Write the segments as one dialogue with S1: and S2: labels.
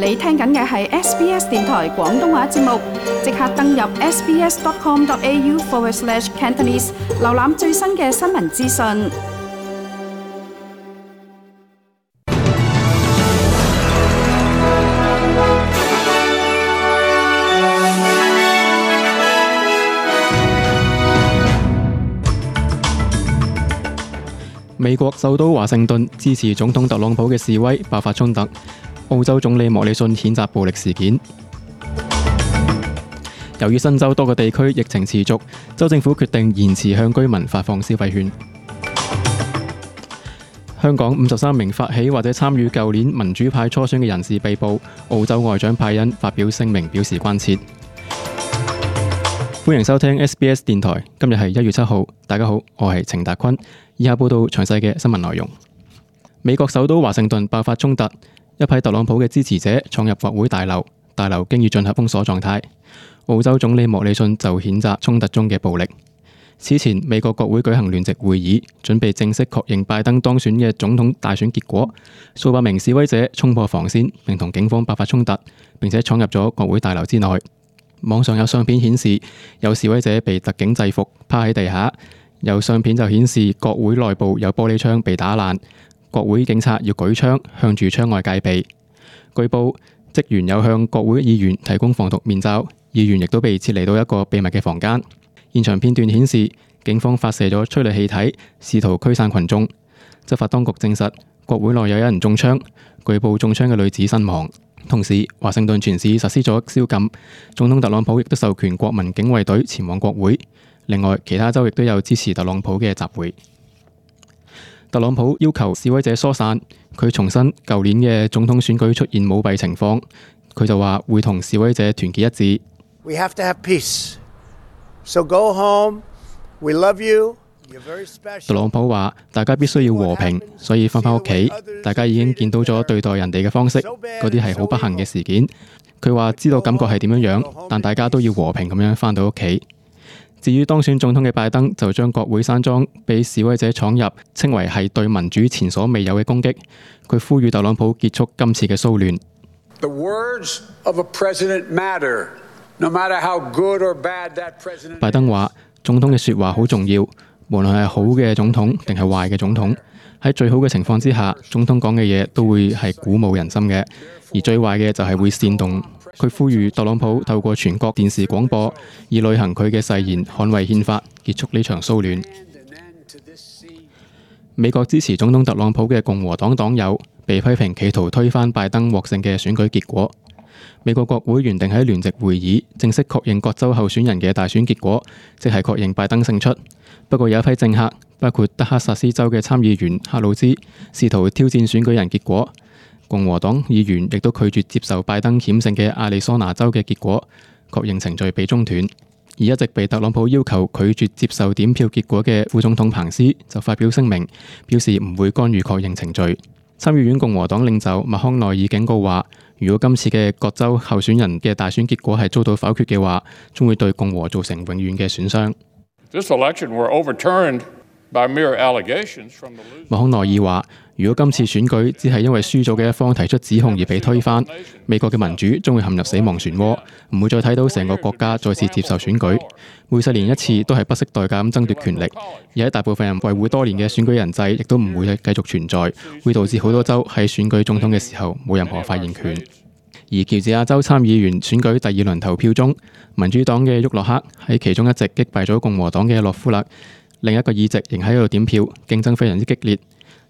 S1: 你聽緊嘅係 SBS 電台廣東話節目，即刻登入 sbs.com.au/Cantonese， 瀏覽最新嘅新聞資訊。
S2: 美國首都華盛頓支持總統特朗普嘅示威爆發衝突，澳洲總理莫里遜譴責暴力事件。由於新州多個地區疫情持續，州政府決定延遲向居民發放消費券。香港53名發起或者參與舊年民主派初選嘅人士被捕，澳洲外長派恩發表聲明表示關切。歡迎收聽 SBS 電台，今日係1月7號，大家好，我係程達坤。以下報道詳細嘅新聞內容。美國首都華盛頓爆發衝突，一批特朗普嘅支持者闖入國會大樓，大樓經已進入封鎖狀態。澳洲總理莫里遜就譴責衝突中嘅暴力。此前，美國國會舉行聯席會議，準備正式確認拜登當選嘅總統大選結果。數百名示威者衝破防線，並同警方爆發衝突，並且闖入咗國會大樓之內。網上有相片顯示，有示威者被特警制服，趴喺地下。有相片就顯示國會內部有玻璃窗被打爛，國會警察要舉槍向住窗外戒備。據報，職員有向國會議員提供防毒面罩，議員亦都被撤離到一個秘密嘅房間。現場片段顯示，警方發射咗催淚氣體，試圖驅散群眾。執法當局證實，國會內有人中槍，據報中槍嘅女子身亡。同時，華盛頓全市實施咗宵禁，總統特朗普亦都授權國民警衛隊前往國會。另外，其他州亦都有支持特朗普嘅集會。特朗普要求示威者疏散，佢重申舊年嘅總統選舉出現舞弊情況，佢就話會同示威者團結一致。
S3: We have to have peace. So go home. We love you.
S2: 特朗普話：大家必須要和平，所以返屋企。大家已經見到咗對待人哋嘅方式，嗰啲係好不幸嘅事件。佢話知道感覺係點樣，但大家都要和平咁樣返到屋企。至於當選總統嘅拜登，就將國會山莊俾示威者闖入，稱為係對民主前所未有嘅攻擊。佢呼籲特朗普結束今次嘅騷亂。
S4: The words of a president matter, no matter how good or bad that president is.
S2: 拜登話：總統嘅説話好重要，無論係好嘅總統定係壞嘅總統。喺最好嘅情況之下，總統講嘅嘢都會係鼓舞人心嘅，而最壞嘅就係會煽動。佢呼籲特朗普透過全國電視廣播，以履行佢嘅誓言，捍衛憲法，結束呢場騷亂。美國支持總統特朗普嘅共和黨黨友被批評企圖推翻拜登獲勝嘅選舉結果。美國國會原定喺聯席會議正式確認各州候選人嘅大選結果，即係確認拜登勝出。不過有一批政客，包括德克薩斯州嘅參議員克魯茲，試圖挑戰選舉人結果。共和黨議員亦都拒絕接受拜登險勝嘅亞利桑那州嘅結果，確認程序被中斷。而一直被特朗普要求拒絕接受點票結果嘅副總統彭斯就發表聲明，表示唔會干預確認程序。參議院共和黨領袖麥康奈爾警告話，如果今次嘅各州候選人嘅大選結果係遭到否決嘅話，將會對共和造成永遠嘅損傷。麥康奈爾話，如果今次選舉只係因為輸咗嘅一方提出指控而被推翻，美國嘅民主將會陷入死亡漩渦，唔會再睇到成個國家再次接受選舉。每4年一次都係不惜代價咁爭奪權力，而喺大部分人維護多年嘅選舉人制亦都唔會繼續存在，會導致好多州喺選舉總統嘅時候冇任何發言權。而喬治亞州參議員選舉第2輪投票中，民主黨嘅沃洛克喺其中一席擊敗咗共和黨嘅洛夫勒，另一個議席仍喺度點票，競爭非常之激烈。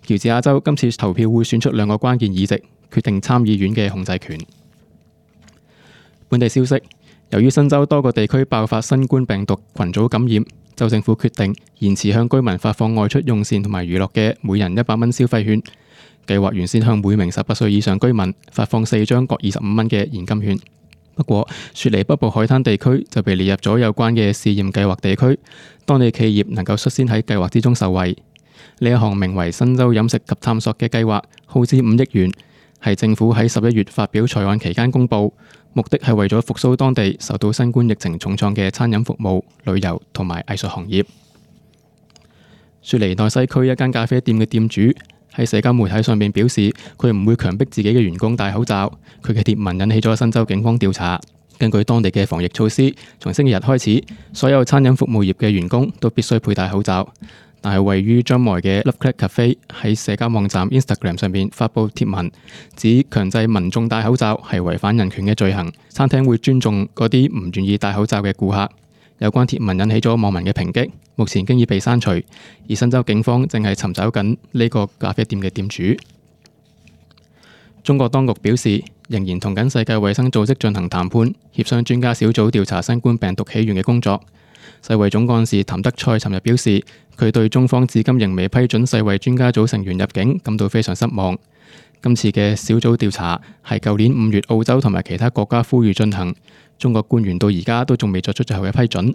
S2: 喬治亞州今次投票會選出2個關鍵議席，決定參議院嘅控制權。本地消息，由於新州多個地區爆發新冠病毒群組感染，州政府決定延遲向居民發放外出用膳同埋娛樂嘅每人100蚊消費券。計劃原先向每名18歲以上居民發放4張各25蚊嘅現金券。不過，雪梨北部海灘地區就被列入咗有關嘅試驗計劃地區，當地企業能夠率先喺計劃之中受惠。呢一項名為新州飲食及探索嘅計劃，耗資5億元，係政府喺11月發表財案期間公佈，目的係為咗復甦當地受到新冠疫情重創嘅餐飲服務、旅遊同埋藝術行業。雪梨內西區一間咖啡店嘅店主喺社交媒體上面表示佢唔會強迫自己嘅員工戴口罩。佢嘅貼文引起咗新州警方調查。根據當地嘅防疫措施，從星期日開始，所有餐飲服務業嘅員工都必須佩戴口罩。但係位於張梅嘅 Love Crack Cafe 喺社交網站 Instagram 上面發布貼文，指強制民眾戴口罩係違反人權嘅罪行。餐廳會尊重嗰啲唔願意戴口罩嘅顧客。有關貼文引起咗網民嘅抨擊，目前經已被刪除。而新州警方正係尋找緊呢個咖啡店嘅店主。中國當局表示，仍然同緊世界衛生組織進行談判，協商專家小組調查新冠病毒起源嘅工作。世衛總幹事譚德塞尋日表示，佢對中方至今仍未批准世衛專家組成員入境感到非常失望。今次嘅小組調查係舊年5月澳洲同埋其他國家呼籲進行，中國官員到而家都仲未作出最後嘅批准。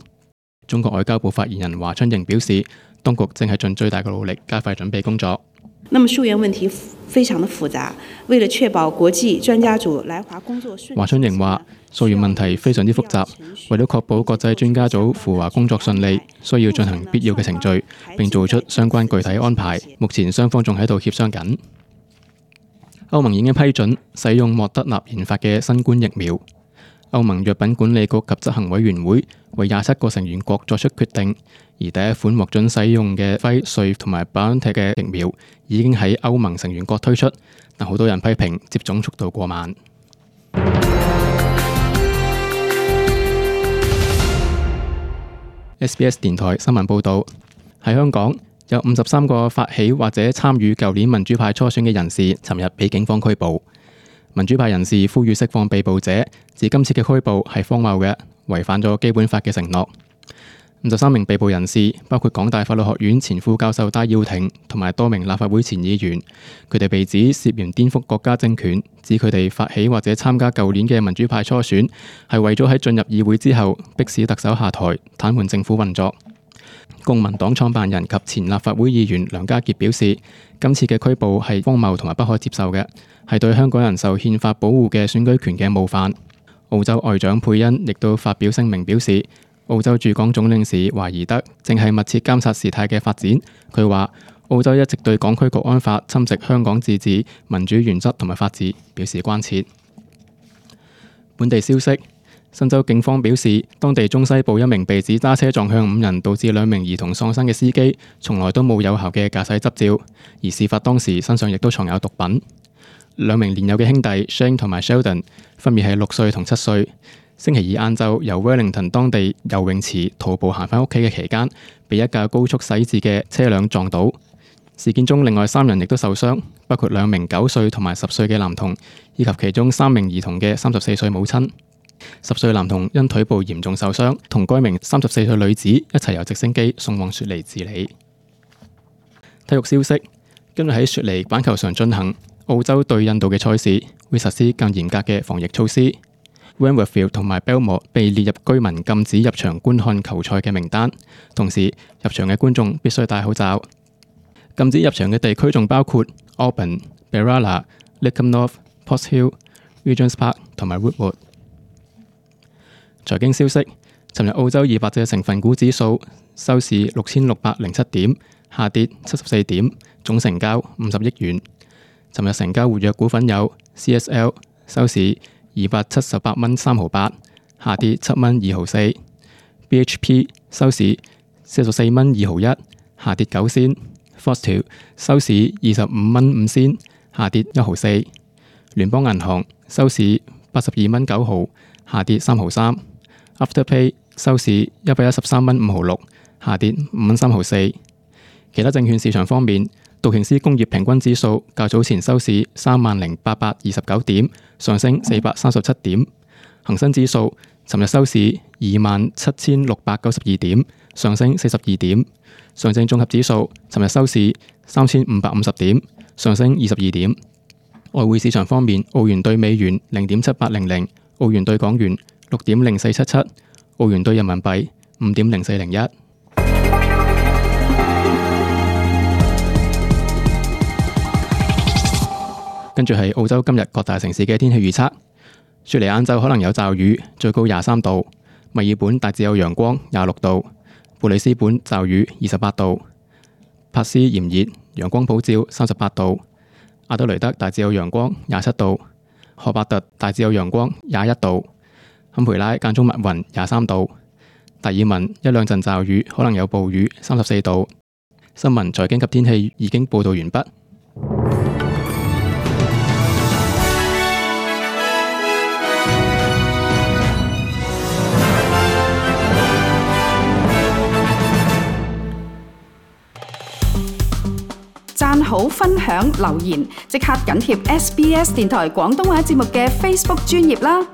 S2: 中國外交部發言人華春瑩表示，當局正係盡最大嘅努力加快準備工作。
S5: 那麼溯源問題非常的複雜，為了確保國際專家組來華工作順利，
S2: 華春瑩話，溯源問題非常之複雜，為咗確保國際專家組赴華工作順利，需要進行必要嘅程序，並做出相關具體安排。目前雙方仲喺度協商緊。歐盟已經批准使用莫德納研發嘅新冠疫苗。歐盟藥品管理局及執行委員會為27個成員國作出決定，而第一款獲准使用嘅輝瑞同埋 BioNTech 嘅疫苗已經喺歐盟成員國推出，但好多人批評接種速度過慢。SBS 電台新聞報導，喺香港有53個發起或者參與舊年民主派初選嘅人士，尋日被警方拘捕。民主派人士呼籲釋放被捕者，指今次嘅拘捕係荒謬嘅，違反咗基本法嘅承諾。53名被捕人士包括港大法律學院前副教授戴耀廷同埋多名立法會前議員，佢哋被指涉嫌顛覆國家政權，指佢哋發起或者參加舊年嘅民主派初選，係為咗喺進入議會之後迫使特首下台，癱瘓政府運作。公民黨創辦人及前立法會議員梁家傑表示，今次嘅拘捕係荒謬同埋不可接受嘅，係對香港人受憲法保護嘅選舉權嘅冒犯。澳洲外長佩恩亦都發表聲明表示，澳洲駐港總領事華宜德正係密切監察事態嘅發展。佢話澳洲一直對港區國安法侵蝕香港自治、民主原則同埋法治表示關切。本地消息，新州警方表示，當地中西部一名被指揸車撞向5人導致2名兒童喪生嘅司機，從來都冇有效嘅駕駛執照，而事發當時身上亦都藏有毒品。2名年幼嘅兄弟 Shane 同埋 Sheldon 分別係6歲同7歲。星期二晏晝由 Wellington 當地游泳池徒步行返屋企嘅期間，被一架高速駛至嘅車輛撞倒。事件中另外3人亦都受傷，包括2名9歲同埋10歲嘅男童，以及其中3名兒童嘅34歲母親。10歲男童因腿部嚴重受傷，同該名34歲女子一齊由直升機送往雪梨治理。體育消息，今日喺雪梨板球場進行澳洲對印度嘅賽事，會實施更嚴格嘅防疫措施。Wentworthville 同埋 Belmore 被列入居民禁止入場觀看球賽嘅名單，同時入場嘅觀眾必須戴口罩。禁止入場嘅地區仲包括 Auburn、Berala、Lakeham North、Potts Hill、Regents Park 同埋 Woodward。財經消息，尋日澳洲200隻成分股指數收市6607點，下跌74點，總成交50億元。尋日成交活躍股份有 CSL 收市278蚊3毫8，下跌7蚊2毫4。BHP 收市44蚊2毫1，下跌9仙。Foster 收市25蚊5仙，下跌1毫4。聯邦銀行收市82蚊9毫，下跌3毫3。Afterpay 收市113蚊5毫6，下跌5蚊3毫4。其他證券市場方面，道瓊斯工業平均指數較早前收市30,829點，上升437點。恒生指數尋日收市27,692點，上升42點。上證綜合指數尋日收市3,550點，上升22點。外匯市場方面，澳元對美元0.7800，澳元對港元6.0477，澳元對人民幣5.0401。跟住係澳洲今日各大城市嘅天氣預測。雪梨晏晝可能有驟雨，最高23度；墨爾本大致有陽光，26度；布里斯本驟雨，28度；珀斯炎熱陽光普照38度；阿德雷德大致有陽光27度；荷伯特大致有陽光21度；坎培拉間中密雲23度；達爾文一兩陣驟雨，可能有暴雨34度。新聞、財經及天氣已經報道完畢。
S1: 讚好、分享、留言，即刻緊貼SBS 電台廣東話節目嘅 Facebook 專頁啦！